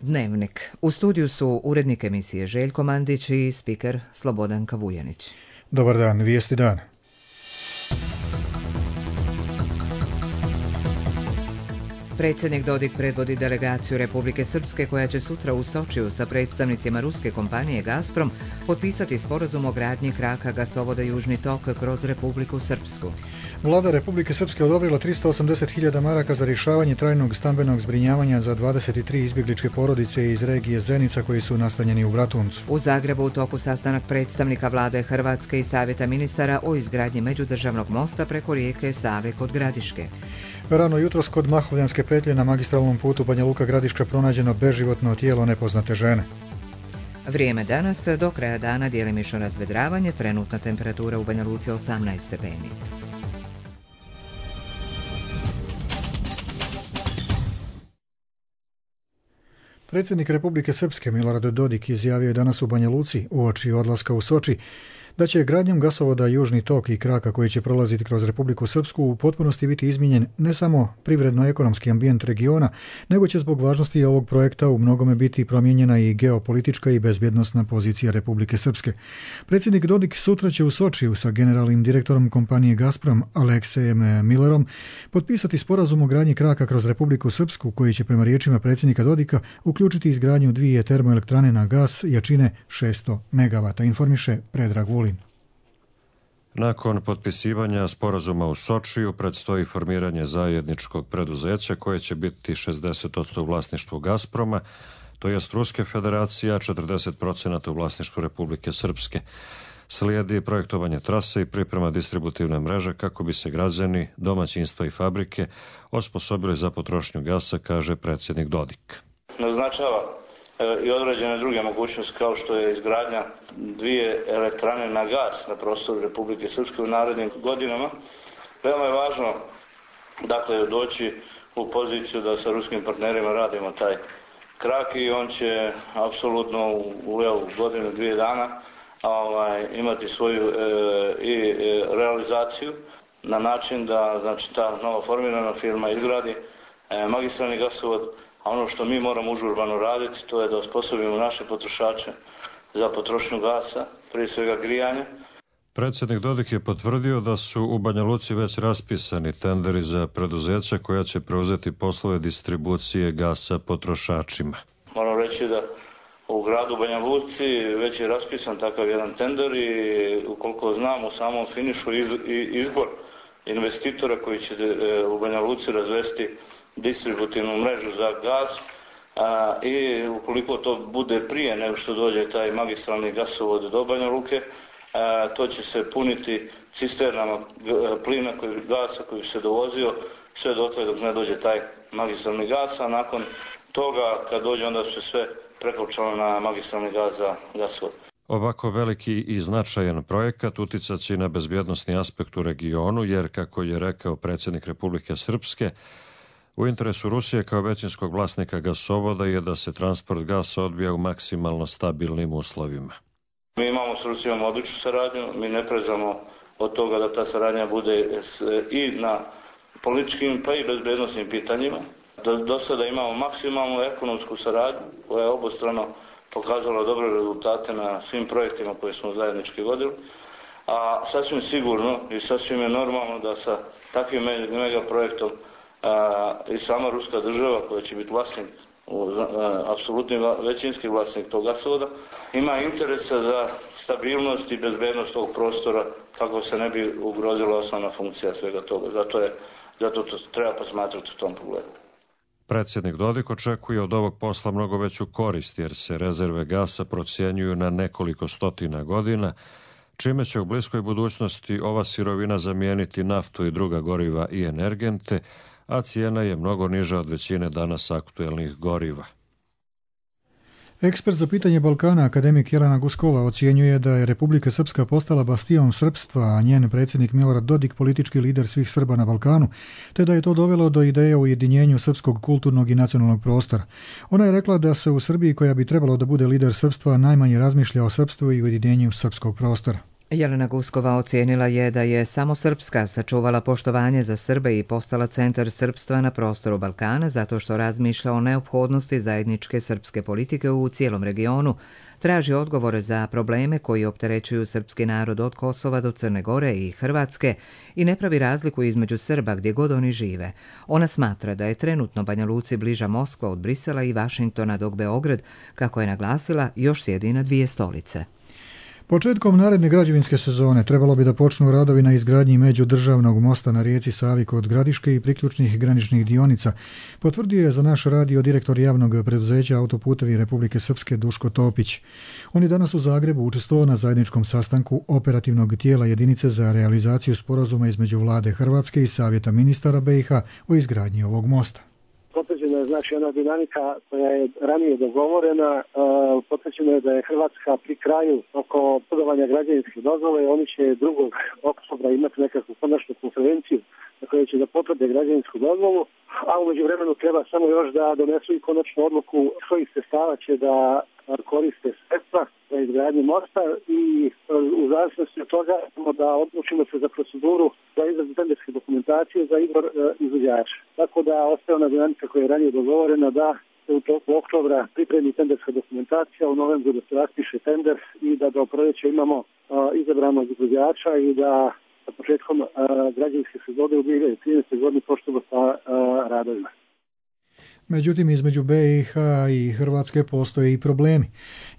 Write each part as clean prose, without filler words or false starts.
Dnevnik. U studiju su urednik emisije Željko Mandić i spiker Slobodanka Vujanić. Dobar dan, vijesti dan. Predsjednik Dodik predvodi delegaciju Republike Srpske koja će sutra u Sočiju sa predstavnicima ruske kompanije Gazprom potpisati sporazum o gradnji kraka gasovoda Južni tok kroz Republiku Srpsku. Vlada Republike Srpske odobrila 380.000 maraka za rješavanje trajnog stambenog zbrinjavanja za 23 izbjegličke porodice iz regije Zenica koji su nastanjeni u Bratuncu. U Zagrebu u toku sastanak predstavnika vlade Hrvatske i savjeta ministara o izgradnji međudržavnog mosta preko rijeke Save kod Gradiške. Rano jutros kod Mahovljanske petlje na magistralnom putu Banja Luka Gradiška pronađeno beživotno tijelo nepoznate žene. Vrijeme danas, do kraja dana djelimično razvedravanje, trenutna temperatura u Banja Luci 18 stepeni. Predsjednik Republike Srpske Milorad Dodik izjavio je danas u Banja Luci uoči odlaska u Soči da će gradnjom gasovoda Južni tok i kraka koji će prolaziti kroz Republiku Srpsku u potpunosti biti izmijenjen ne samo privredno-ekonomski ambijent regiona, nego će zbog važnosti ovog projekta u mnogome biti promijenjena i geopolitička i bezbjednosna pozicija Republike Srpske. Predsjednik Dodik sutra će u Sočiju sa generalnim direktorom kompanije Gazprom Aleksejem Millerom potpisati sporazum o gradnji kraka kroz Republiku Srpsku koji će prema riječima predsjednika Dodika uključiti izgradnju 2 termoelektrane na gas jačine 600 MW, informiše Predrag Vulin. Nakon potpisivanja sporazuma u Sočiju predstoji formiranje zajedničkog preduzeća koje će biti 60% u vlasništvu Gazproma, to jest Ruske federacije, a 40% u vlasništvu Republike Srpske. Slijedi projektovanje trase i priprema distributivne mreže kako bi se građani, domaćinstva i fabrike osposobili za potrošnju gasa, kaže predsjednik Dodik. Naznačava i određene druge mogućnosti kao što je izgradnja 2 elektrane na gas na prostoru Republike Srpske u narednim godinama. Veoma je važno doći u poziciju da sa ruskim partnerima radimo taj krak i on će apsolutno u godinu, 2 dana imati svoju realizaciju na način da ta novo formirana firma izgradi magistralni gasovod. A ono što mi moramo užurbano raditi, to je da osposobimo naše potrošače za potrošnju gasa, prije svega grijanja. Predsjednik Dodik je potvrdio da su u Banja Luci već raspisani tenderi za preduzeća koja će preuzeti poslove distribucije gasa potrošačima. Moram reći da u gradu Banja Luci već je raspisan takav jedan tender i ukoliko znam u samom finišu izbor investitora koji će u Banja Luci razvesti distributivnu mrežu za gas i ukoliko to bude prije nego što dođe taj magistralni gasovod do Banja Luke, to će se puniti cisternama plina, gasa koji se dovozio sve dotle dok ne dođe taj magistralni gas, a nakon toga kad dođe onda se sve prekopčalo na magistralni gas za gasovod. Ovako veliki i značajan projekat uticat će na bezbjednosni aspekt u regionu, jer, kako je rekao predsjednik Republike Srpske, u interesu Rusije kao većinskog vlasnika gasovoda je da se transport gasa odvija u maksimalno stabilnim uslovima. Mi imamo s Rusijom odličnu saradnju, mi ne prezamo od toga da ta saradnja bude i na političkim pa i bezbednosnim pitanjima. Do sada imamo maksimalnu ekonomsku saradnju koja je obostrano pokazala dobre rezultate na svim projektima koje smo zajednički vodili. A sasvim sigurno i sasvim je normalno da sa takvim megaprojektom i sama ruska država koja će biti vlasnik, apsolutni većinski vlasnik tog gasovoda, ima interesa za stabilnost i bezbednost ovog prostora kako se ne bi ugrozila osnovna funkcija svega toga. Zato to treba posmatrati u tom pogledu. Predsjednik Dodik očekuje od ovog posla mnogo veću korist jer se rezerve gasa procjenjuju na nekoliko stotina godina, čime će u bliskoj budućnosti ova sirovina zamijeniti naftu i druga goriva i energente, a cijena je mnogo niža od većine danas aktuelnih goriva. Ekspert za pitanje Balkana, akademik Jelena Guskova, ocjenjuje da je Republika Srpska postala bastion srpstva, a njen predsjednik Milorad Dodik politički lider svih Srba na Balkanu, te da je to dovelo do ideje o ujedinjenju srpskog kulturnog i nacionalnog prostora. Ona je rekla da se u Srbiji, koja bi trebalo da bude lider srpstva, najmanje razmišlja o srpstvu i ujedinjenju srpskog prostora. Jelena Guskova ocijenila je da je samo Srpska sačuvala poštovanje za Srbe i postala centar srpstva na prostoru Balkana zato što razmišlja o neophodnosti zajedničke srpske politike u cijelom regionu, traži odgovore za probleme koji opterećuju srpski narod od Kosova do Crne Gore i Hrvatske i ne pravi razliku između Srba gdje god oni žive. Ona smatra da je trenutno Banja Luci bliža Moskva od Brisela i Vašingtona, dok Beograd, kako je naglasila, još sjedi na dvije stolice. Početkom naredne građevinske sezone trebalo bi da počnu radovi na izgradnji međudržavnog mosta na rijeci Savi kod Gradiške i priključnih graničnih dionica, potvrdio je za naš radio direktor javnog preduzeća Autoputevi Republike Srpske Duško Topić. On je danas u Zagrebu učestvovao na zajedničkom sastanku operativnog tijela jedinice za realizaciju sporazuma između vlade Hrvatske i Savjeta ministara BiH o izgradnji ovog mosta. Potvrđena je znači ona dinamika koja je ranije dogovorena, potvrđeno je da je Hrvatska pri kraju oko podavanja građevinske dozvole, oni će 2. oktobra imati nekakvu konačnu konferenciju na kojoj će da potvrde građevinsku dozvolu, a u međuvremenu treba samo još da donesu i konačnu odluku kojih sredstava će da koriste sredstva za izgradnju mosta i u zavisnosti od toga da odlučimo se za proceduru za izradu tenderske dokumentacije za izbor izvođača. Tako da ostaje ona dinamika koja je ranije dogovorena da se u toku oktobra pripremi tenderska dokumentacija, u novembru da se raspiše tender i da do proljeća imamo izabranog izvođača i da sa početkom građevinske sezone u 2013. godini počnemo sa radovima. Međutim, između BiH i Hrvatske postoje i problemi.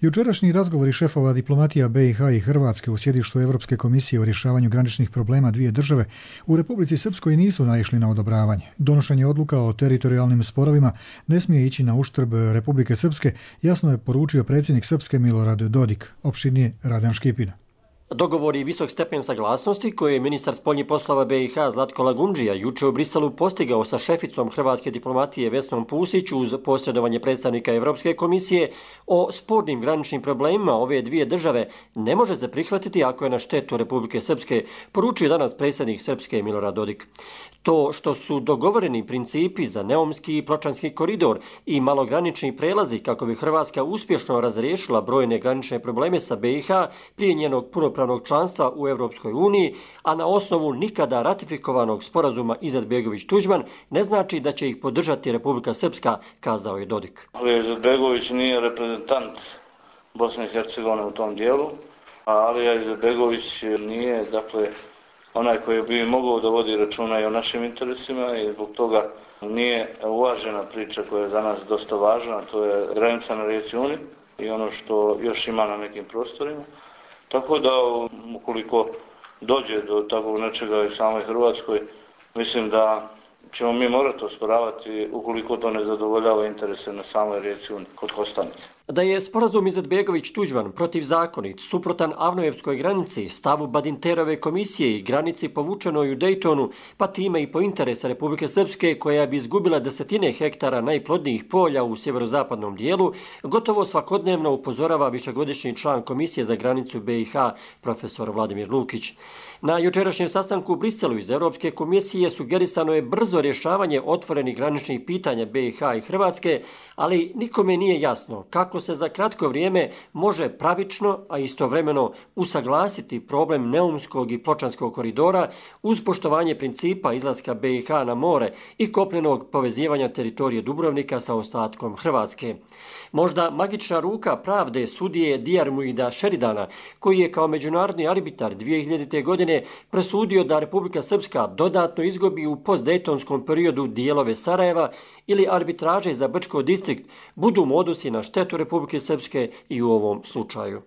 Jučerašnji razgovori šefova diplomatija BiH i Hrvatske u sjedištu Europske komisije o rješavanju graničnih problema dvije države u Republici Srpskoj nisu naišli na odobravanje. Donošenje odluka o teritorijalnim sporovima ne smije ići na uštrb Republike Srpske, jasno je poručio predsjednik Srpske Milorad Dodik, opširnije Radan Škipina. Dogovor i visok stepen saglasnosti koje je ministar spoljnih poslova BiH Zlatko Lagundžija juče u Briselu postigao sa šeficom hrvatske diplomatije Vesnom Pusić uz posredovanje predstavnika Europske komisije o spornim graničnim problemima ove dvije države ne može se prihvatiti ako je na štetu Republike Srpske, poručio danas predsjednik Srpske Milorad Dodik. To što su dogovoreni principi za Neumski i Pločanski koridor i malogranični prelazi kako bi Hrvatska uspješno razriješila brojne granične probleme sa BiH prije njenog punopravnog članstva u Europskoj uniji, a na osnovu nikada ratifikovanog sporazuma Izetbegović-Tuđman, ne znači da će ih podržati Republika Srpska, kazao je Dodik. Izetbegović nije reprezentant Bosne i Hercegovine u tom dijelu, a Alija Izetbegović nije, dakle, onaj koji bi mogao da vodi računa i o našim interesima i zbog toga nije uvažena priča koja je za nas dosta važna, to je granica na rijeci Uni i ono što još ima na nekim prostorima. Tako da ukoliko dođe do takvog nečega i samoj Hrvatskoj, mislim da ćemo mi morati osporavati ukoliko to ne zadovoljava interese na samoj rijeci Uni kod Kostanice. Da je sporazum Izetbegović-Tuđman protivzakonit, suprotan Avnojevskoj granici, stavu Badinterove komisije i granici povučenoj u Dejtonu, pa time i po interesa Republike Srpske koja bi izgubila desetine hektara najplodnijih polja u sjeverozapadnom dijelu, gotovo svakodnevno upozorava višegodišnji član Komisije za granicu BiH, profesor Vladimir Lukić. Na jučerašnjem sastanku u Briselu iz Europske komisije sugerisano je brzo rješavanje otvorenih graničnih pitanja BiH i Hrvatske, ali nikome nije jasno kako se za kratko vrijeme može pravično, a istovremeno usaglasiti problem Neumskog i Pločanskog koridora uz poštovanje principa izlaska BiH na more i kopnenog povezivanja teritorije Dubrovnika sa ostatkom Hrvatske. Možda magična ruka pravde sudije Dijarmuida Šeridana, koji je kao međunarodni arbitar 2000. godine presudio da Republika Srpska dodatno izgubi u postdejtonskom periodu dijelove Sarajeva ili arbitraže za Brčko distrikt, budu modusi na štetu Republike Srpske i u ovom slučaju.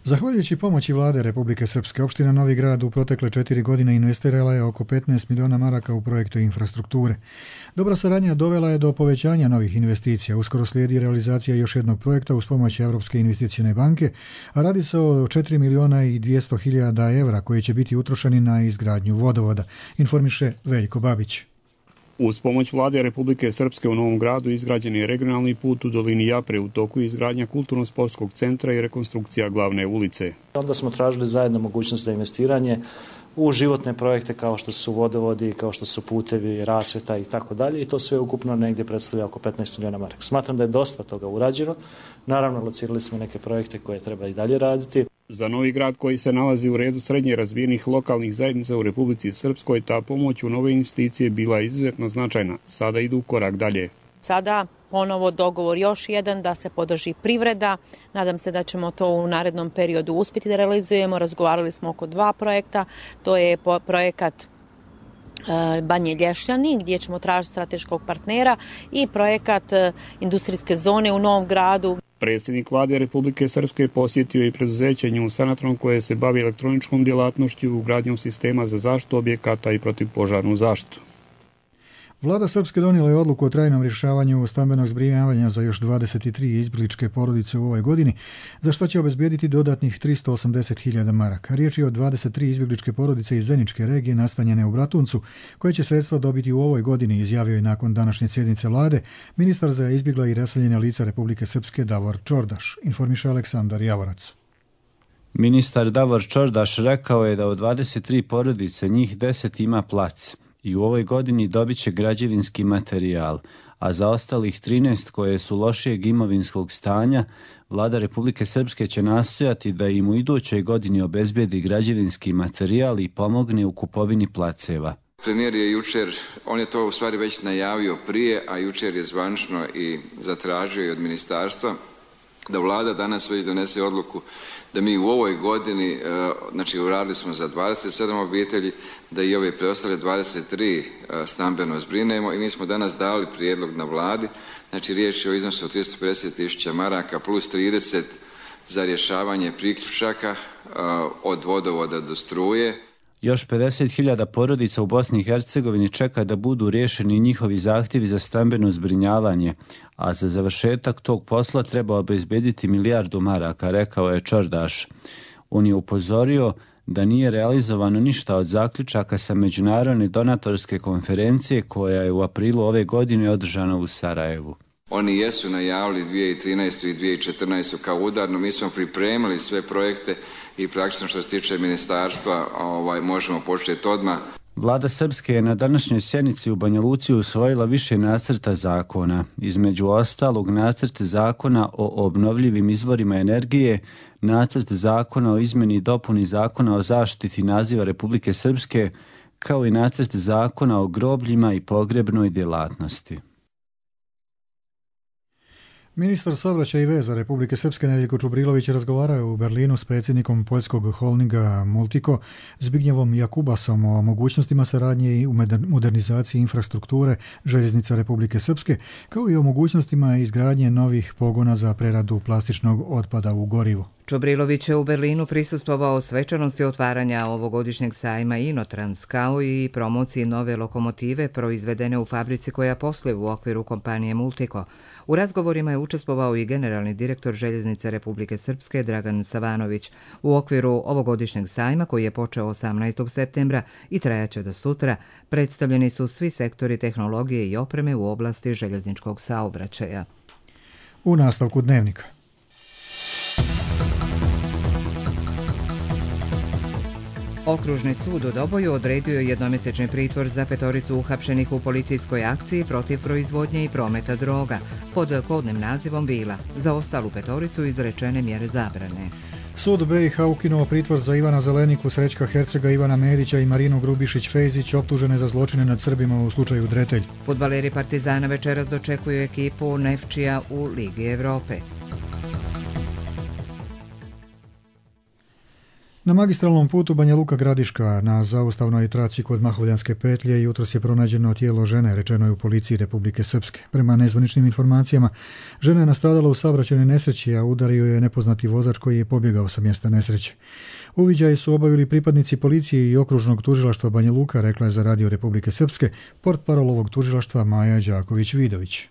Zahvaljujući pomoći vlade Republike Srpske, opština Novi Grad u protekle 4 godine investirala je oko 15 miliona maraka u projekte infrastrukture. Dobra saradnja dovela je do povećanja novih investicija. Uskoro slijedi realizacija još jednog projekta uz pomoć Europske investicione banke, a radi se o 4 miliona i 200 hiljada evra koji će biti utrošeni na izgradnju vodovoda, informiše Veljko Babić. Uz pomoć vlade Republike Srpske u Novom Gradu izgrađen je regionalni put u dolini Japre, u toku izgradnja kulturno-sportskog centra i rekonstrukcija glavne ulice. Onda smo tražili zajedno mogućnost za investiranje u životne projekte kao što su vodovodi, kao što su putevi, rasvjeta i tako dalje, i to sve ukupno negdje predstavlja oko 15 milijuna maraka. Smatram da je dosta toga urađeno. Naravno, locirali smo neke projekte koje treba i dalje raditi. Za Novi Grad, koji se nalazi u redu srednje razvijenih lokalnih zajednica u Republici Srpskoj, ta pomoć u nove investicije bila je izuzetno značajna. Sada idu korak dalje. Sada ponovo dogovor još jedan da se podrži privreda. Nadam se da ćemo to u narednom periodu uspjeti da realizujemo. Razgovarali smo oko 2 projekta. To je projekat Banje Lješljani, gdje ćemo tražiti strateškog partnera, i projekat industrijske zone u Novom Gradu. Predsjednik vlade Republike Srpske posjetio i preduzeće New Sanatron, koje se bavi elektroničkom djelatnošću, ugradnjom sistema za zaštitu objekata i protivpožarnu zaštitu. Vlada Srpske donijela je odluku o trajnom rješavanju stambenog zbrinjavanja za još 23 izbjegličke porodice u ovoj godini, za što će obezbijediti dodatnih 380.000 maraka. Riječ je o 23 izbjegličke porodice iz Zeničke regije nastanjene u Bratuncu, koje će sredstva dobiti u ovoj godini, izjavio je nakon današnje sjednice vlade ministar za izbjegla i raseljena lica Republike Srpske Davor Čordaš, informiše Aleksandar Javorac. Ministar Davor Čordaš rekao je da od 23 porodice njih 10 ima plac i u ovoj godini dobit će građevinski materijal, a za ostalih 13 koje su lošijeg imovinskog stanja, vlada Republike Srpske će nastojati da im u idućoj godini obezbijedi građevinski materijal i pomogne u kupovini placeva. Premijer je jučer, on je to u stvari već najavio prije, a jučer je zvanično i zatražio i od ministarstva da vlada danas već donese odluku da mi u ovoj godini, znači uradili smo za 27 obitelji, da i ove preostale 23 stambeno zbrinemo, i mi smo danas dali prijedlog na vladi, znači riječ je o iznosu od 350.000 maraka plus 30 za rješavanje priključaka od vodovoda do struje. Još 50.000 porodica u Bosni i Hercegovini čeka da budu riješeni njihovi zahtjevi za stambeno zbrinjavanje, a za završetak tog posla treba obezbediti 1 milijardu maraka, rekao je Čordaš. On je upozorio da nije realizovano ništa od zaključaka sa međunarodne donatorske konferencije koja je u aprilu ove godine održana u Sarajevu. Oni jesu najavili 2013. i 2014. kao udarno, mi smo pripremili sve projekte i praktično što se tiče ministarstva možemo početi odmah. Vlada Srpske je na današnjoj sjednici u Banja Luci usvojila više nacrta zakona, između ostalog nacrt zakona o obnovljivim izvorima energije, nacrt zakona o izmjeni i dopuni zakona o zaštiti naziva Republike Srpske, kao i nacrt zakona o grobljima i pogrebnoj djelatnosti. Ministar saobraćaja i veza Republike Srpske Nedeljko Čubrilović razgovarao u Berlinu s predsjednikom poljskog holdinga Multico Zbignjevom Jakubasom o mogućnostima saradnje i u modernizaciji infrastrukture željeznica Republike Srpske, kao i o mogućnostima izgradnje novih pogona za preradu plastičnog otpada u gorivu. Čubrilović je u Berlinu prisustvovao svečanosti otvaranja ovogodišnjeg sajma Inotrans, kao i promociji nove lokomotive proizvedene u fabrici koja posluje u okviru kompanije Multico. U razgovorima je učestvovao i generalni direktor Željeznice Republike Srpske Dragan Savanović. U okviru ovogodišnjeg sajma, koji je počeo 18. septembra i trajaće do sutra, predstavljeni su svi sektori tehnologije i opreme u oblasti željezničkog saobraćaja. U nastavku dnevnika. Okružni sud u Doboju odredio je jednomjesečni pritvor za 5 uhapšenih u policijskoj akciji protiv proizvodnje i prometa droga pod kodnim nazivom Vila. Za ostalu 5 izrečene mjere zabrane. Sud BiH ukinuo pritvor za Ivana Zeleniku, Srećka Hercega, Ivana Medića i Marinu Grubišić-Fejzić, optužene za zločine nad Srbima u slučaju Dretelj. Fudbaleri Partizana večeras dočekuju ekipu Nefčija u Ligi Evrope. Na magistralnom putu Banja Luka Gradiška na zaustavnoj traci kod Mahovljanske petlje jutros je pronađeno tijelo žene, rečeno je u policiji Republike Srpske. Prema nezvaničnim informacijama, žena je nastradala u saobraćajnoj nesreći, a udario je nepoznati vozač koji je pobjegao sa mjesta nesreće. Uviđaje su obavili pripadnici policije i okružnog tužilaštva Banja Luka, rekla je za Radio Republike Srpske portparol ovog tužilaštva Maja Đaković-Vidović.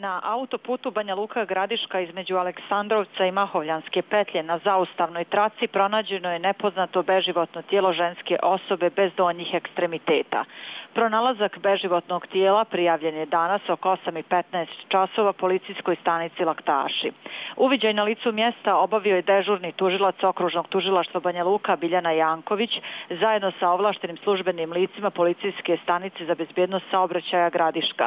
Na autoputu Banja Luka Gradiška između Aleksandrovca i Mahovljanske petlje na zaustavnoj traci pronađeno je nepoznato beživotno tijelo ženske osobe bez donjih ekstremiteta. Pronalazak beživotnog tijela prijavljen je danas oko 8:15 časova policijskoj stanici Laktaši. Uviđaj na licu mjesta obavio je dežurni tužilac okružnog tužilaštva Banja Luka Biljana Janković zajedno sa ovlaštenim službenim licima policijske stanice za bezbjednost saobraćaja Gradiška.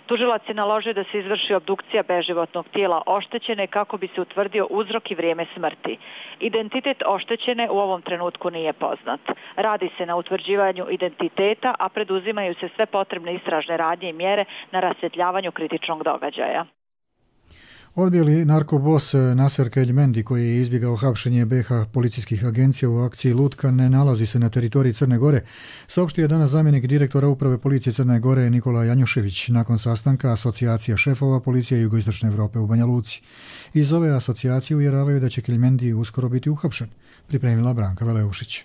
Tužilac je naložio da se izvrši obdukcija beživotnog tijela oštećene kako bi se utvrdio uzrok i vrijeme smrti. Identitet oštećene u ovom trenutku nije poznat. Radi se na utvrđivanju identiteta, a preduzimaju se sve potrebne istražne radnje i mjere na rasvjetljavanju kritičnog događaja. Odbijeli narkobos Naser Keljmendi, koji je izbjegao hapšenje BiH policijskih agencija u akciji Lutka, ne nalazi se na teritoriji Crne Gore, saopštio je danas zamjenik direktora Uprave policije Crne Gore Nikola Janjušević nakon sastanka Asocijacija šefova policije Jugoistočne Evrope u Banja Luci. Iz ove asocijacije uvjeravaju da će Keljmendi uskoro biti uhapšen, pripremila Branka Veleušić.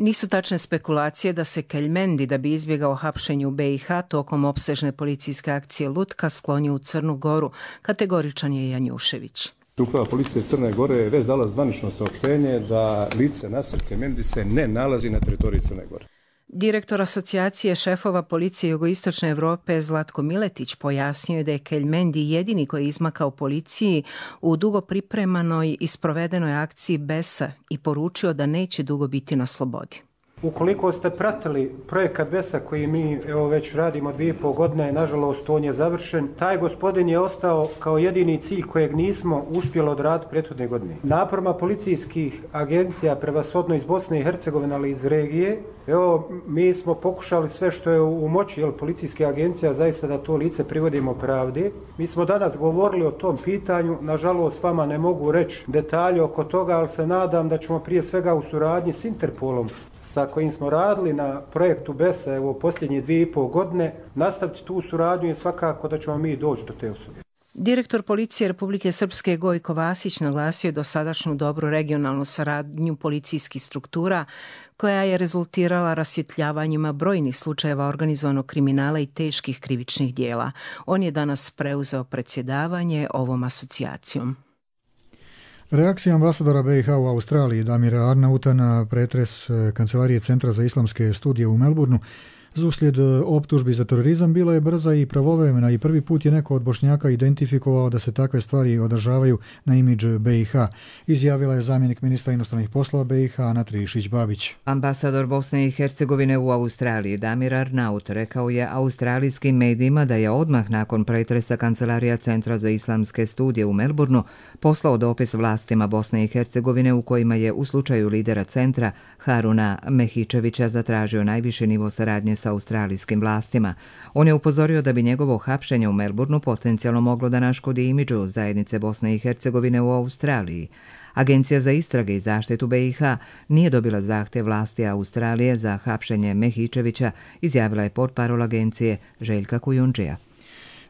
Nisu tačne spekulacije da se Keljmendi, da bi izbjegao hapšenje u BiH tokom opsežne policijske akcije Lutka, sklonio u Crnu Goru, kategoričan je Janjušević. Uprava policije Crne Gore je već dala zvanično saopštenje da lice Naser Keljmendi se ne nalazi na teritoriji Crne Gore. Direktor Asocijacije šefova policije Jugoistočne Evrope Zlatko Miletić pojasnio je da je Keljmendi jedini koji je izmakao policiji u dugo pripremanoj i sprovedenoj akciji BESA i poručio da neće dugo biti na slobodi. Ukoliko ste pratili projekat BESA koji mi već radimo 2,5 godine, nažalost on je završen, taj gospodin je ostao kao jedini cilj kojeg nismo uspjeli odraditi prethodne godine. Naporima policijskih agencija, prevashodno iz Bosne i Hercegovine, ali iz regije, mi smo pokušali sve što je u moći policijske agencija zaista da to lice privodimo pravdi. Mi smo danas govorili o tom pitanju, nažalost vama ne mogu reći detalje oko toga, ali se nadam da ćemo prije svega u suradnji s Interpolom, sa kojim smo radili na projektu BESA u posljednje 2,5 godine, nastaviti tu suradnju i svakako da ćemo mi doći do te osobe. Direktor policije Republike Srpske Gojko Vasić naglasio je dosadašnju dobru regionalnu saradnju policijskih struktura koja je rezultirala rasvjetljavanjima brojnih slučajeva organizovanog kriminala i teških krivičnih dijela. On je danas preuzeo predsjedavanje ovom asocijacijom. Reakcija ambasadora BiH u Australiji Damira Arnauta na pretres Kancelarije Centra za islamske studije u Melbourneu uslijed optužbi za terorizam bila je brza i pravovremena i prvi put je neko od Bošnjaka identifikovao da se takve stvari održavaju na imidž BiH, izjavila je zamjenik ministra inostranih poslova BiH Ana Trišić-Babić. Ambasador Bosne i Hercegovine u Australiji Damir Arnaut rekao je australijskim medijima da je odmah nakon pretresa Kancelarija Centra za islamske studije u Melbourneu poslao dopis vlastima Bosne i Hercegovine u kojima je u slučaju lidera centra Haruna Mehičevića zatražio najviši nivo saradnje sa australijskim vlastima. On je upozorio da bi njegovo hapšenje u Melbourneu potencijalno moglo da naškodi imidžu zajednice Bosne i Hercegovine u Australiji. Agencija za istrage i zaštitu BiH nije dobila zahtjev vlasti Australije za hapšenje Mehičevića, izjavila je portparol agencije Željka Kujundžija.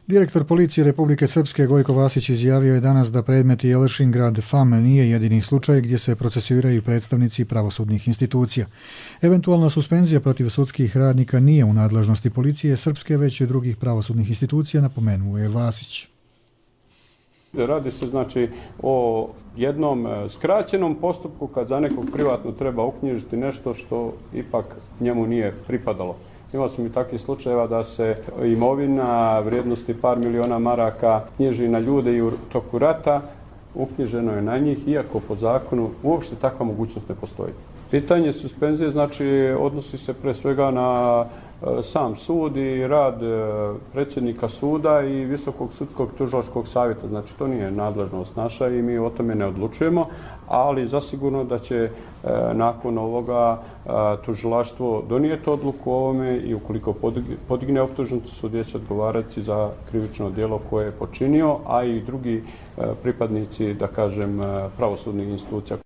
Direktor policije Republike Srpske Gojko Vasić izjavio je danas da predmet Jelšingrad FAM nije jedini slučaj gdje se procesuiraju predstavnici pravosudnih institucija. Eventualna suspenzija protiv sudskih radnika nije u nadležnosti policije Srpske, već i drugih pravosudnih institucija, napomenuo je Vasić. Radi se znači o jednom skraćenom postupku kad za nekog privatno treba uknjižiti nešto što ipak njemu nije pripadalo. Imao sam i takvih slučajeva da se imovina vrijednosti par miliona maraka knjiži na ljude i u toku rata, uknjiženo je na njih, iako po zakonu uopšte takva mogućnost ne postoji. Pitanje suspenzije znači odnosi se pre svega na sam sud i rad predsjednika suda i Visokog sudskog tužilačkog savjeta. Znači to nije nadležnost naša i mi o tome ne odlučujemo, ali zasigurno da će nakon ovoga tužilaštvo donijeti odluku o ovome i ukoliko podigne optužnicu, sudija će odgovarati za krivično djelo koje je počinio, a i drugi pripadnici, da kažem, pravosudnih institucija.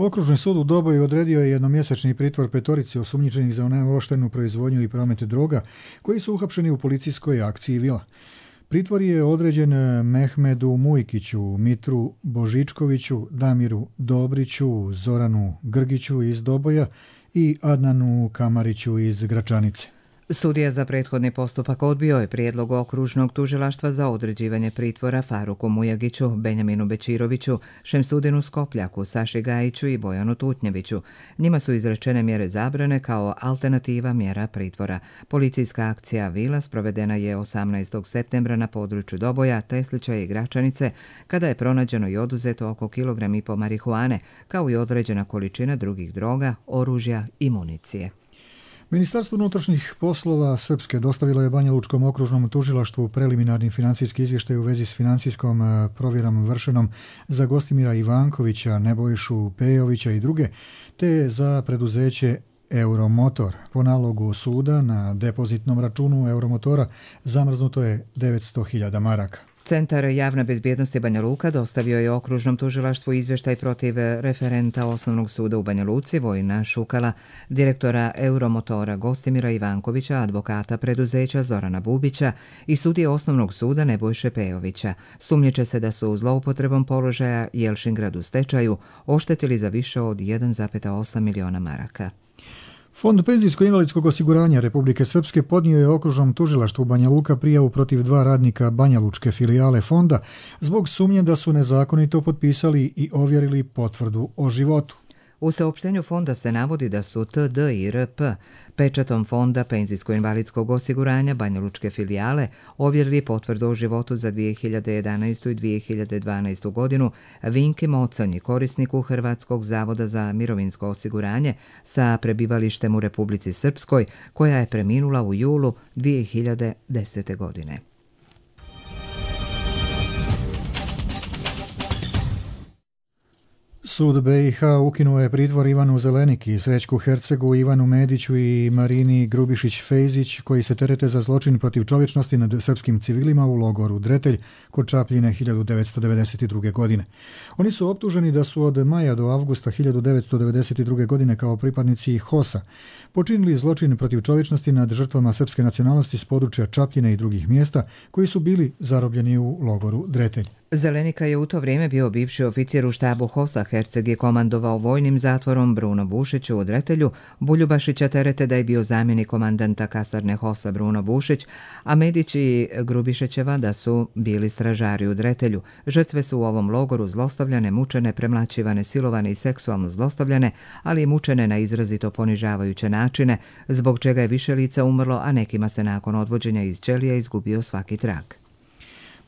Okružni sud u Doboju odredio je jednomjesečni pritvor petorici osumnjičenih za neovlaštenu proizvodnju i promet droga koji su uhapšeni u policijskoj akciji Vila. Pritvor je određen Mehmedu Mujkiću, Mitru Božičkoviću, Damiru Dobriću, Zoranu Grgiću iz Doboja i Adnanu Kamariću iz Gračanice. Sudija za prethodni postupak odbio je prijedlog okružnog tužilaštva za određivanje pritvora Faruku Mujagiću, Benjaminu Bečiroviću, Šemsudinu Skopljaku, Saši Gajiću i Bojanu Tutnjeviću. Njima su izrečene mjere zabrane kao alternativa mjera pritvora. Policijska akcija Vila sprovedena je 18. septembra na području Doboja, Teslića i Gračanice, kada je pronađeno i oduzeto oko 1,5 kg marihuane, kao i određena količina drugih droga, oružja i municije. Ministarstvo unutrašnjih poslova Srpske dostavilo je Banjalučkom okružnom tužilaštvu preliminarni financijski izvještaj u vezi s financijskom provjerom vršenom za Gostimira Ivankovića, Nebojšu Pejovića i druge, te za preduzeće Euromotor. Po nalogu suda na depozitnom računu Euromotora zamrznuto je 900.000 maraka. Centar javne bezbjednosti Banja Luka dostavio je okružnom tužilaštvu izvještaj protiv referenta Osnovnog suda u Banja Luci Vojina Šukala, direktora Euromotora Gostimira Ivankovića, advokata preduzeća Zorana Bubića i sudije Osnovnog suda Nebojše Pejovića. Sumnjiče se da su zloupotrebom položaja Jelšingrad u stečaju oštetili za više od 1,8 miliona maraka. Fond penzijsko-invalidskog osiguranja Republike Srpske podnio je okružnom tužilaštvu Banja Luka prijavu protiv 2 radnika Banjalučke filijale fonda zbog sumnje da su nezakonito potpisali i ovjerili potvrdu o životu. U saopštenju fonda se navodi da su TD i RP pečatom Fonda penzijsko-invalidskog osiguranja Banjalučke filijale ovjerili potvrdu o životu za 2011. i 2012. godinu Vinki Moconji, korisniku Hrvatskog zavoda za mirovinsko osiguranje sa prebivalištem u Republici Srpskoj, koja je preminula u julu 2010. godine. Sud BiH ukinuo je pritvor Ivanu Zeleniki, Srećku Hercegu, Ivanu Mediću i Marini Grubišić-Fejzić, koji se terete za zločin protiv čovječnosti nad srpskim civilima u logoru Dretelj kod Čapljine 1992. godine. Oni su optuženi da su od maja do avgusta 1992. godine kao pripadnici HOS-a počinili zločin protiv čovječnosti nad žrtvama srpske nacionalnosti s područja Čapljine i drugih mjesta koji su bili zarobljeni u logoru Dretelj. Zelenika je u to vrijeme bio bivši oficir u štabu HOS-a. Herceg je komandovao vojnim zatvorom Bruno Bušiću u Dretelju. Buljubašića terete da je bio zamjenik komandanta kasarne HOS-a Bruno Bušić, a Medić i Grubišićeva da su bili stražari u Dretelju. Žrtve su u ovom logoru zlostavljane, mučene, premlaćivane, silovane i seksualno zlostavljane, ali i mučene na izrazito ponižavajuće načine, zbog čega je više lica umrlo, a nekima se nakon odvođenja iz ćelija izgubio svaki trag.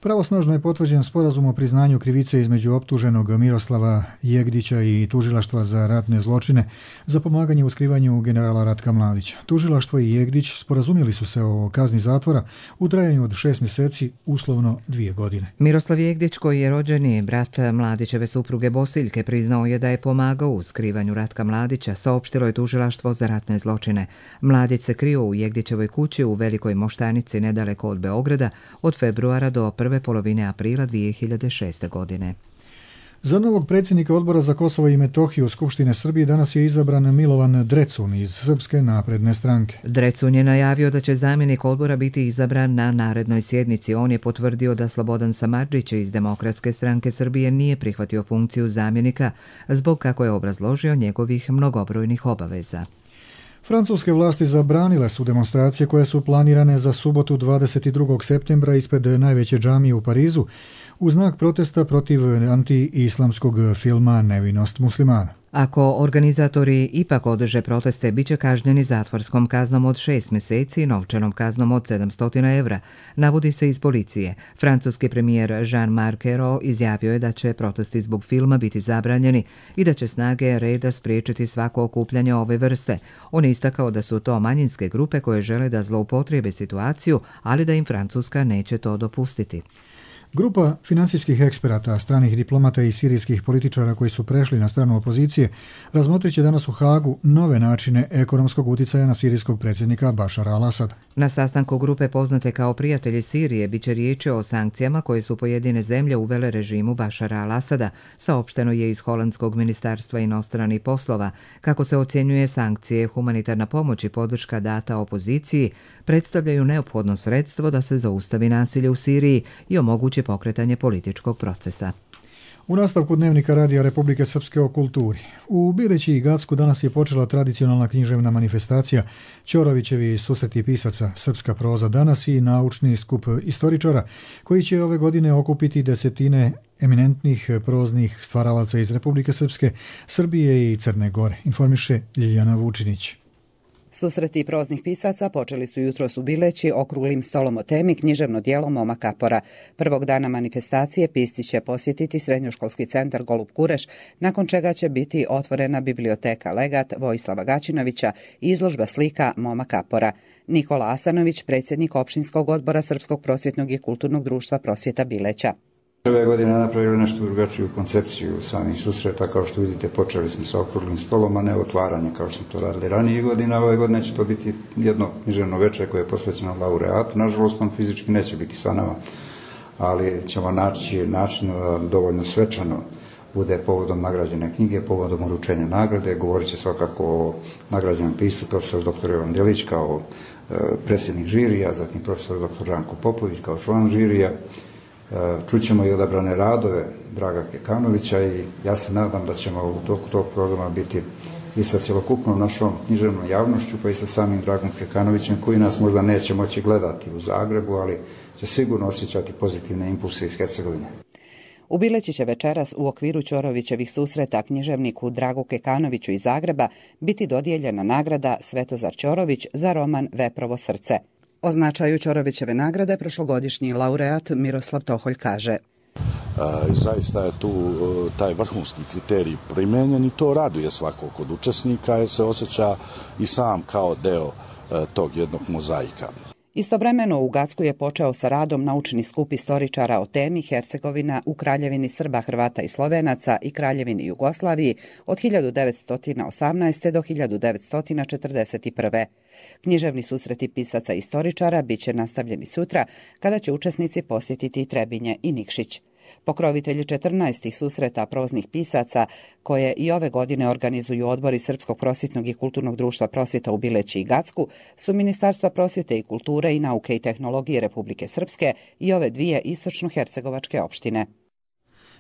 Pravosnažno je potvrđen sporazum o priznanju krivice između optuženog Miroslava Jegdića i tužilaštva za ratne zločine za pomaganje u skrivanju generala Ratka Mladića. Tužilaštvo i Jegdić sporazumjeli su se o kazni zatvora u trajanju od 6 mjeseci, uslovno 2 godine. Miroslav Jegdić, koji je rođeni brat Mladićeve supruge Bosiljke, priznao je da je pomagao u skrivanju Ratka Mladića, saopštilo je tužilaštvo za ratne zločine. Mladić se krio u Jegdićevoj kući u Velikoj Moštanici nedaleko od Beograda od februara do prve polovine aprila 2006. godine. Za novog predsjednika Odbora za Kosovo i Metohiju Skupštine Srbije danas je izabran Milovan Drecun iz Srpske napredne stranke. Drecun je najavio da će zamjenik odbora biti izabran na narednoj sjednici. On je potvrdio da Slobodan Samardžić iz Demokratske stranke Srbije nije prihvatio funkciju zamjenika zbog, kako je obrazložio, njegovih mnogobrojnih obaveza. Francuske vlasti zabranile su demonstracije koje su planirane za subotu 22. septembra ispred najveće džamije u Parizu u znak protesta protiv anti-islamskog filma Nevinost muslimana. Ako organizatori ipak održe proteste, bit će kažnjeni zatvorskom kaznom od 6 mjeseci i novčanom kaznom od 700 evra, navodi se iz policije. Francuski premijer Jean-Marc Ayrault izjavio je da će protesti zbog filma biti zabranjeni i da će snage reda spriječiti svako okupljanje ove vrste. On je istakao da su to manjinske grupe koje žele da zloupotrijebe situaciju, ali da im Francuska neće to dopustiti. Grupa financijskih eksperata, stranih diplomata i sirijskih političara koji su prešli na stranu opozicije razmotrit će danas u Hagu nove načine ekonomskog uticaja na sirijskog predsjednika Bašara al-Asada. Na sastanku grupe poznate kao Prijatelji Sirije biće riječi o sankcijama koje su pojedine zemlje uvele režimu Bašara al-Asada, saopšteno je iz Holandskog ministarstva inostranih poslova. Kako se ocjenjuje, sankcije, humanitarna pomoć i podrška data opoziciji predstavljaju neophodno sredstvo da se zaustavi nasilje u Siriji i omogući pokretanje političkog procesa. U nastavku dnevnika Radija Republike Srpske o kulturi. U Bileći i Gacku danas je počela tradicionalna književna manifestacija Ćorovićevi susreti pisaca Srpska proza danas i naučni skup istoričara koji će ove godine okupiti desetine eminentnih proznih stvaralaca iz Republike Srpske, Srbije i Crne Gore, informiše Ljiljana Vučinić. Susreti proznih pisaca počeli su jutros u Bileći okruglim stolom o temi književno djelo Moma Kapora. Prvog dana manifestacije pisci će posjetiti srednjoškolski centar Golub Kureš, nakon čega će biti otvorena biblioteka Legat Vojislava Gaćinovića i izložba slika Moma Kapora. Nikola Asanović, predsjednik opštinskog odbora Srpskog prosvjetnog i kulturnog društva Prosvjeta Bileća. Ove godine napravili nešto drugačiju koncepciju samih susreta, kao što vidite počeli smo sa okruglim stolom, a ne otvaranje kao što smo to radili ranije godina. Ove godine će to biti jedno književno večer koje je posvećeno laureatu. Nažalost, on fizički neće biti sa nama, ali ćemo naći način da dovoljno svečano bude povodom nagrađene knjige, povodom uručenja nagrade. Govorit će svakako o nagrađenom piscu profesor dr. Jovan Delić kao predsjednik žirija, zatim profesor dr. Žanko Popović kao član žirija. Čućemo i odabrane radove Draga Kekanovića i ja se nadam da ćemo u toku tog programa biti i sa cjelokupnom našom književnom javnošću, pa i sa samim Dragom Kekanovićem, koji nas možda neće moći gledati u Zagrebu, ali će sigurno osjećati pozitivne impulse iz Hercegovine. U Bileći će večeras u okviru Ćorovićevih susreta književniku Dragu Kekanoviću iz Zagreba biti dodijeljena nagrada Svetozar Ćorović za roman Veprovo srce. O značaju Ćorovićeve nagrade prošlogodišnji laureat Miroslav Toholj kaže: Zaista je tu taj vrhunski kriterij primenjen i to raduje svakog od učesnika jer se osjeća i sam kao deo tog jednog mozaika. Istovremeno u Gacku je počeo sa radom naučni skup istoričara o temi Hercegovina u Kraljevini Srba, Hrvata i Slovenaca i Kraljevini Jugoslaviji od 1918. do 1941. Književni susreti pisaca i istoričara bit će nastavljeni sutra, kada će učesnici posjetiti Trebinje i Nikšić. Pokrovitelji 14. susreta proznih pisaca, koje i ove godine organizuju odbori Srpskog prosvjetnog i kulturnog društva Prosvjeta u Bileći i Gacku, su Ministarstva prosvjete i kulture i nauke i tehnologije Republike Srpske i ove dvije istočno-hercegovačke opštine.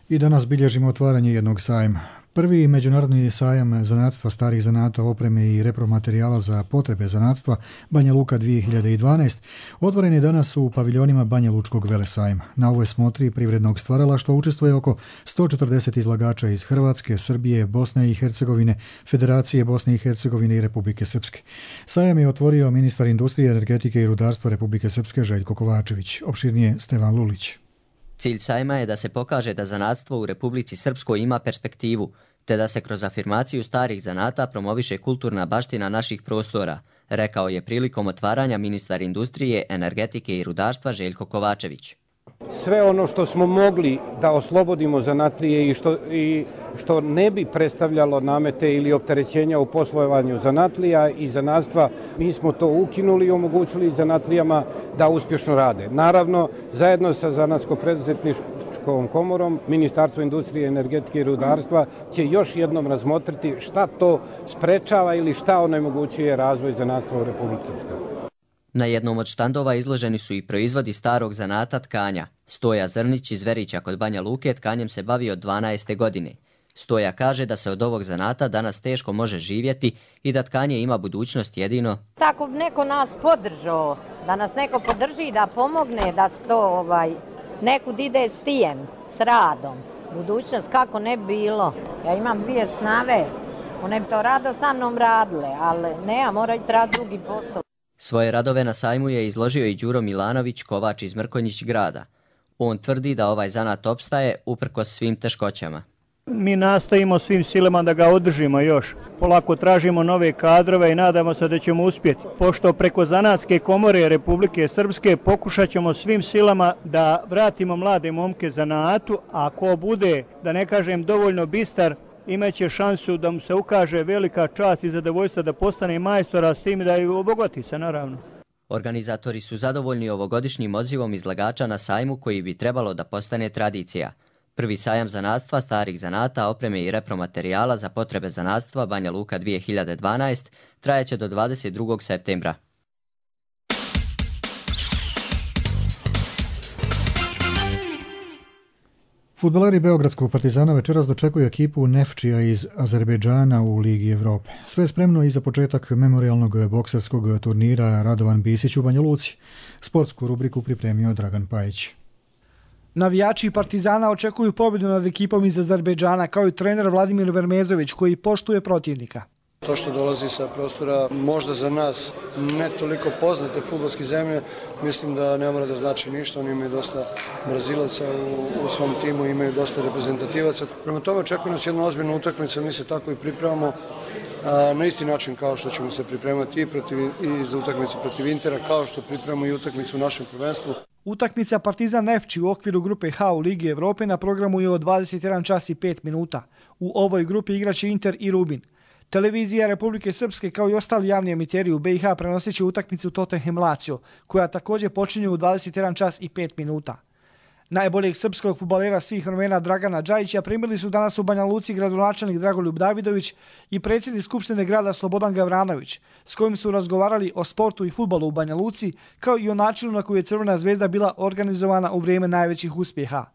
I danas bilježimo otvaranje jednog sajma. Prvi međunarodni sajam zanatstva, starih zanata, opreme i repromaterijala za potrebe zanatstva Banja Luka 2012 otvoren je danas u paviljonima Banja Lučkog velesajma. Na ovoj smotri privrednog stvaralaštva učestvuje oko 140 izlagača iz Hrvatske, Srbije, Bosne i Hercegovine, Federacije Bosne i Hercegovine i Republike Srpske. Sajam je otvorio ministar industrije, energetike i rudarstva Republike Srpske Željko Kovačević. Opširnije Stevan Lulić. Cilj sajma je da se pokaže da zanatstvo u Republici Srpskoj ima perspektivu, te da se kroz afirmaciju starih zanata promoviše kulturna baština naših prostora, rekao je prilikom otvaranja ministar industrije, energetike i rudarstva Željko Kovačević. Sve ono što smo mogli da oslobodimo zanatlije i što ne bi predstavljalo namete ili opterećenja u poslovanju zanatlija i zanatstva, mi smo to ukinuli i omogućili zanatlijama da uspješno rade. Naravno, zajedno sa Zanatsko-preduzetničkom komorom, Ministarstvo industrije, energetike i rudarstva će još jednom razmotriti šta to sprečava ili šta onemogućuje razvoj zanatstva u Republici Srpskoj. Na jednom od štandova izloženi su i proizvodi starog zanata tkanja. Stoja Zrnić iz Verića kod Banja Luke tkanjem se bavi od 12. godine. Stoja kaže da se od ovog zanata danas teško može živjeti i da tkanje ima budućnost jedino tako neko nas podržao, da nas neko podrži, da pomogne, da se to nekud ide s tijem, s radom. Budućnost kako ne bi bilo. Ja imam dvije snave, one bi to rado sa mnom radile, ali ne, moraju raditi drugi posao. Svoje radove na sajmu je izložio i Đuro Milanović, kovač iz Mrkonjić grada. On tvrdi da ovaj zanat opstaje uprkos svim teškoćama. Mi nastojimo svim silama da ga održimo još. Polako tražimo nove kadrove i nadamo se da ćemo uspjeti. Pošto preko Zanatske komore Republike Srpske pokušat ćemo svim silama da vratimo mlade momke zanatu, a ko bude, da ne kažem dovoljno bistar, imaće šansu da mu se ukaže velika čast i zadovoljstvo da postane majstora, s tim da i obogati se naravno. Organizatori su zadovoljni ovogodišnjim odzivom izlagača na sajmu koji bi trebalo da postane tradicija. Prvi sajam zanatstva, starih zanata, opreme i repromaterijala za potrebe zanatstva Banja Luka 2012 trajeće do 22. septembra. Fudbaleri Beogradskog Partizana večeras dočekuju ekipu Nefčija iz Azerbejdžana u Ligi Evrope. Sve je spremno i za početak memorijalnog bokserskog turnira Radovan Bisić u Banja Luci. Sportsku rubriku pripremio Dragan Pajić. Navijači Partizana očekuju pobjedu nad ekipom iz Azerbejdžana, kao i trener Vladimir Vermezović, koji poštuje protivnika. To što dolazi sa prostora možda za nas ne toliko poznate fudbalske zemlje, mislim da ne mora da znači ništa. Oni imaju dosta Brazilaca u svom timu, imaju dosta reprezentativaca. Prema tome očekuje nas jedna ozbiljna utakmica, mi se tako i pripremamo na isti način kao što ćemo se pripremati i za utakmicu protiv Intera, kao što pripremamo i utakmicu u našem prvenstvu. Utakmica Partizan Nefči u okviru grupe H u Ligi Evrope na programu je od 21 čas i 5 minuta. U ovoj grupi igraće Inter i Rubin. Televizija Republike Srpske kao i ostali javni emiteri u BiH prenosit će utakmicu Tottenham Lazio, koja također počinje u 21 čas i 5 minuta. Najboljeg srpskog fudbalera svih vremena Dragana Džajića primili su danas u Banja Luci gradonačelnik Dragoljub Davidović i predsjednik Skupštine grada Slobodan Gavranović, s kojim su razgovarali o sportu i fudbalu u Banja Luci, kao i o načinu na koji je Crvena zvezda bila organizovana u vrijeme najvećih uspjeha.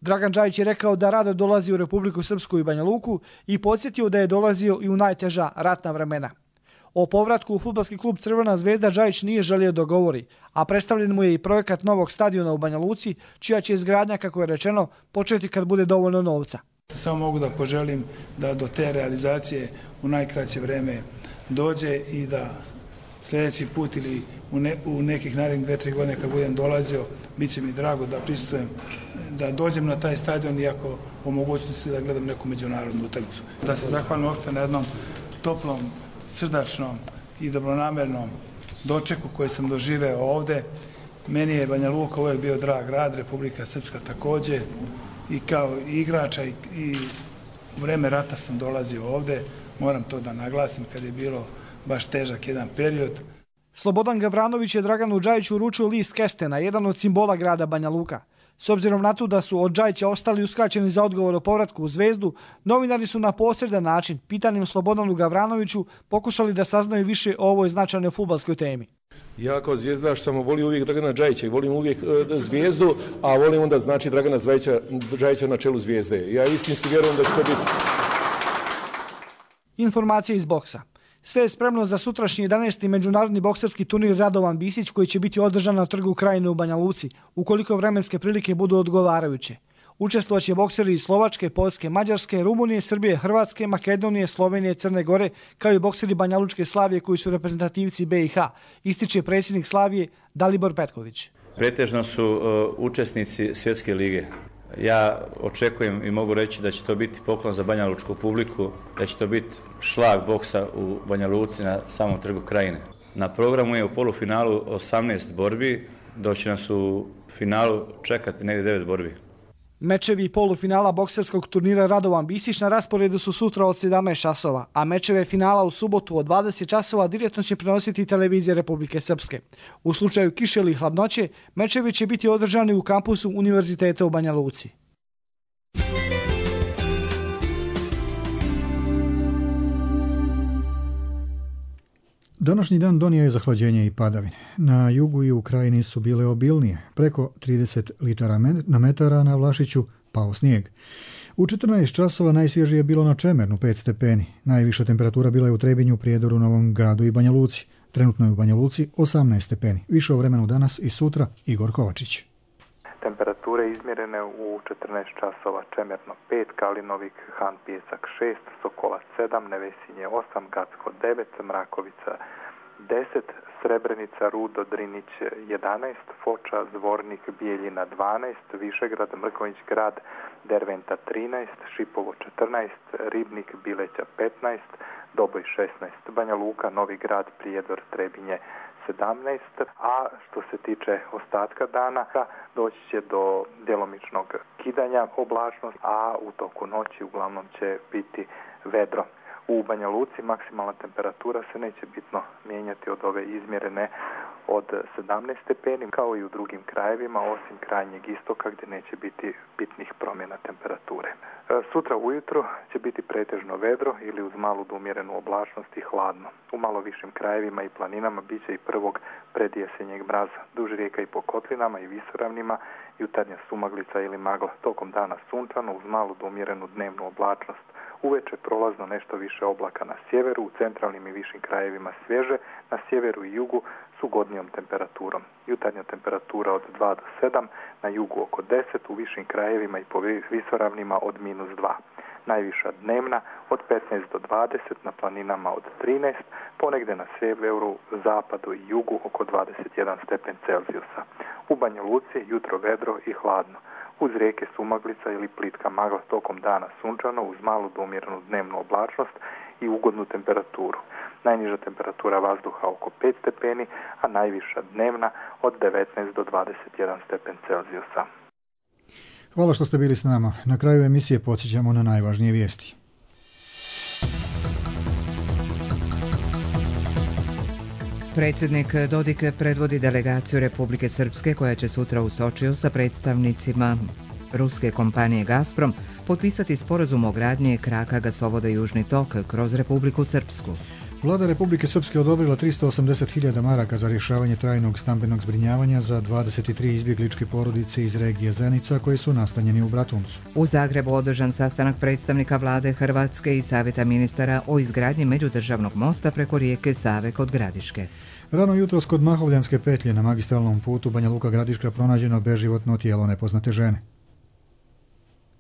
Dragan Džajić je rekao da rado dolazi u Republiku Srpsku i Banja Luku i podsjetio da je dolazio i u najteža ratna vremena. O povratku u fudbalski klub Crvena zvezda Džajić nije želio da govori, a predstavljen mu je i projekat novog stadiona u Banja Luci, čija će izgradnja, kako je rečeno, početi kad bude dovoljno novca. Samo mogu da poželim da do te realizacije u najkraće vreme dođe i da sljedeći put ili u nekih narednih 2-3 godine kad budem dolazio, bit će mi drago da prisustvujem, da dođem na taj stadion, iako po mogućnosti da gledam neku međunarodnu utakmicu. Da se zahvalim uopšte na jednom toplom, srdačnom i dobronamernom dočeku koji sam doživeo ovde. Meni je Banja Luka uvijek bio drag grad, Republika Srpska također, i kao igrača i u vreme rata sam dolazio ovde. Moram to da naglasim kad je bilo baš težak jedan period. Slobodan Gavranović je Draganu Džajiću uručio list Kestena, jedan od simbola grada Banja Luka. S obzirom na to da su od Džajića ostali uskraćeni za odgovor o povratku u Zvezdu, novinari su na posredan način, pitanjem Slobodanu Gavranoviću, pokušali da saznaju više o ovoj značajnoj fudbalskoj temi. Ja kao zvijezdaš sam volio uvijek Dragana Džajića i volim uvijek Zvijezdu, a volim onda znači Dragana Džajića na čelu Zvijezde. Ja istinski vjerujem da će to biti. Informacije iz boksa. Sve je spremno za sutrašnji 11. međunarodni bokserski turnir Radovan Bisić, koji će biti održan na Trgu Krajine u Banja Luci, ukoliko vremenske prilike budu odgovarajuće. Učestvovaće bokseri iz Slovačke, Poljske, Mađarske, Rumunije, Srbije, Hrvatske, Makedonije, Slovenije, Crne Gore, kao i bokseri Banja Lučke Slavije koji su reprezentativci BiH, ističe predsjednik Slavije Dalibor Petković. Pretežno su učesnici svjetske lige. Ja očekujem i mogu reći da će to biti poklon za Banja Lučku publiku, da će to biti šlag boksa u Banja Luci na samom Trgu Krajine. Na programu je u polufinalu 18 borbi, dok će nas u finalu čekati negdje 9 borbi. Mečevi polufinala bokserskog turnira Radovan Bisić na rasporedu su sutra od 17 časova, a mečeve finala u subotu od 20 časova direktno će prenositi televizija Republike Srpske. U slučaju kiše ili hladnoće, mečevi će biti održani u kampusu Univerziteta u Banja Luci. Današnji dan donio je zahlađenje i padavine. Na jugu i u krajini su bile obilnije. Preko 30 litara na metara na Vlašiću pao snijeg. U 14 časova najsvježije je bilo na Čemernu 5 stepeni. Najviša temperatura bila je u Trebinju, Prijedoru, Novom Gradu i Banja Luci. Trenutno je u Banja Luci 18 stepeni. Više o vremenu danas i sutra Igor Kovačić. Temperature izmjerene u 14 časova: Čemerno 5, Kalinovik, Han Pijesak 6, Sokola 7, Nevesinje 8, Gacko 9, Mrakovica 10, Srebrenica, Rudo, Drinić 11, Foča, Zvornik, Bijeljina 12, Višegrad, Mrkonjić Grad, Derventa 13, Šipovo 14, Ribnik, Bileća 15, Doboj 16, Banja Luka, Novi Grad, Prijedor, Trebinje 17, a što se tiče ostatka dana, doći će do djelomičnog kidanja oblačnosti, a u toku noći uglavnom će biti vedro. U Banja Luci maksimalna temperatura se neće bitno mijenjati od ove izmjerene od 17 stepeni, kao i u drugim krajevima, osim krajnjeg istoka gdje neće biti bitnih promjena temperature. Sutra ujutro će biti pretežno vedro ili uz malu do umjerenu oblačnost i hladno. U malo višim krajevima i planinama bit će i prvog predjesenjeg mraza. Duž rijeka i po kotlinama i visoravnima jutarnja sumaglica ili magla. Tokom dana sunčano uz malu do umjerenu dnevnu oblačnost. Uveče prolazno nešto više oblaka na sjeveru, u centralnim i višim krajevima svježe, na sjeveru i jugu s ugodnijom temperaturom. Jutarnja temperatura od 2 do 7, na jugu oko 10, u višim krajevima i po visoravnima od -2. Najviša dnevna od 15 do 20, na planinama od 13, ponegdje na sjeveru, zapadu i jugu oko 21 stepen Celzijusa. U Banja Luci jutro vedro i hladno. Uz rijeke sumaglica ili plitka magla tokom dana sunčano uz malu do umjerenu dnevnu oblačnost i ugodnu temperaturu. Najniža temperatura vazduha oko 5 stepeni, a najviša dnevna od 19 do 21 stepen Celzijusa. Hvala što ste bili s nama. Na kraju emisije podsjećamo na najvažnije vijesti. Predsjednik Dodik predvodi delegaciju Republike Srpske koja će sutra u Sočiju sa predstavnicima ruske kompanije Gazprom potpisati sporazum o gradnji kraka gasovoda Južni tok kroz Republiku Srpsku. Vlada Republike Srpske odobrila 380.000 maraka za rješavanje trajnog stambenog zbrinjavanja za 23 izbjegličke porodice iz regije Zenica koji su nastanjeni u Bratuncu. U Zagrebu održan sastanak predstavnika vlade Hrvatske i savjeta ministara o izgradnji međudržavnog mosta preko rijeke Save kod Gradiške. Rano jutros kod Mahovljanske petlje na magistralnom putu Banja Luka Gradiška pronađeno beživotno tijelo nepoznate žene.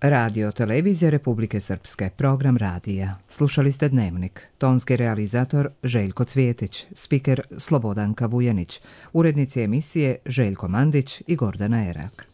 Radio Televizija Republike Srpske, program radija. Slušali ste Dnevnik. Tonski realizator Željko Cvjetić, spiker Slobodanka Vujanić, urednici emisije Željko Mandić i Gordana Erak.